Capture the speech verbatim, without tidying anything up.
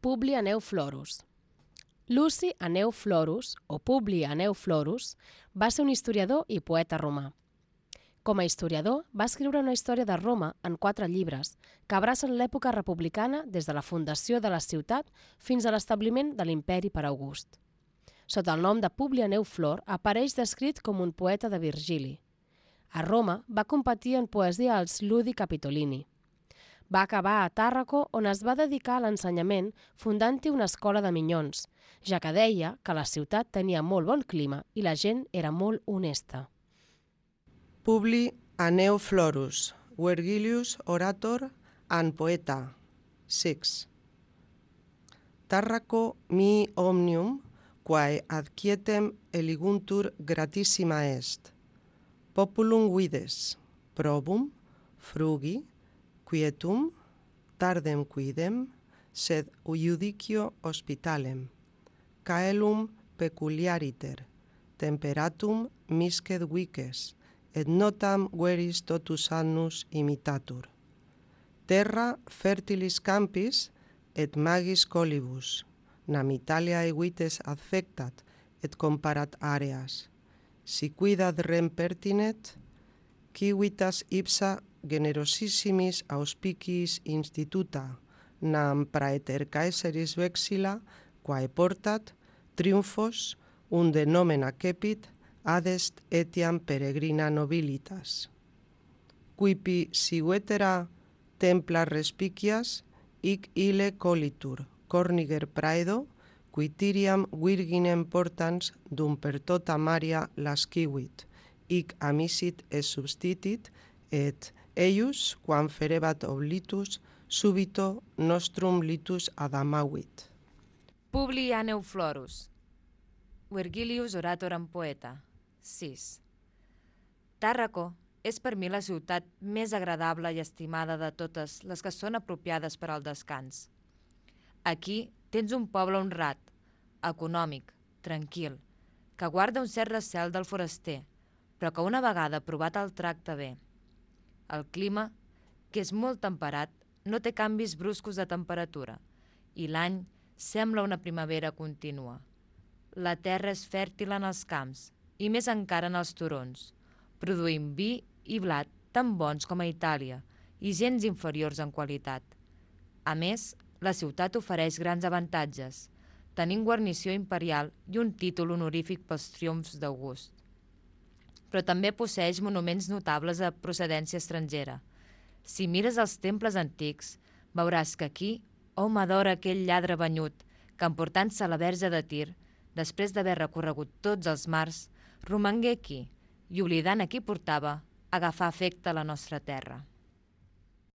Publi Aneu Florus. Luci Aneu Florus, o Publi Aneu Florus, va ser un historiador i poeta romà. Com a historiador, va escriure una història de Roma en quatre llibres que abracen l'època republicana des de la fundació de la ciutat fins a l'establiment de l'imperi per August. Sota el nom de Publi Aneu Flor apareix descrit com un poeta de Virgili. A Roma va competir en poesia als Ludi Capitolini. Va acabar a Tàrraco, on es va dedicar a l'ensenyament fundant-hi una escola de minyons, ja que deia que la ciutat tenia molt bon clima i la gent era molt honesta. Publi Aneu Florus, Vergilius orator and poeta, six. Tàrraco mi omnium, quae ad quietem eliguntur gratissima est. Populum vides, probum, frugi, quietum, tardem quidem, sed iudicio hospitalem. Caelum peculiariter, temperatum miscet vices, et notam veris totus annus imitatur. Terra fertilis campis, et magis colibus, nam Italia evites affectat, et comparat areas. Si quidad rem pertinet, civitas ipsa generosissimis auspiciis instituta, nam praeter Caesaris vexilla, quae portat, triumphos, unde nomen accepit, adest etiam peregrina nobilitas. Quipi si vetera templa respicias, hic ille colitur, corniger praedo, quitiriam virginem portans dum per tota Maria lascivit, hic amisit et substitit, et eius, quam ferebat oblitus, subito nostrum litus adamavit. Publi Aneu Florus, Vergilius orator and poeta, sis. Tàrraco és per mi la ciutat més agradable i estimada de totes les que són apropiades per al descans. Aquí tens un poble honrat, econòmic, tranquil, que guarda un cert recel del foraster, però que una vegada provat el tracta bé. El clima, que és molt temperat, no té canvis bruscos de temperatura i l'any sembla una primavera contínua. La terra és fèrtil en els camps i més encara en els turons, produint vi i blat tan bons com a Itàlia i gens inferiors en qualitat. A més, la ciutat ofereix grans avantatges, tenint guarnició imperial i un títol honorífic pels triomfs d'August. Però també posseeix monuments notables de procedència estrangera. Si mires els temples antics, veuràs que aquí hom adora aquell lladre banyut que, emportant-se la Verge de Tir, després d'haver recorregut tots els mars, romangué aquí i, oblidant a qui portava, agafà afecte a la nostra terra.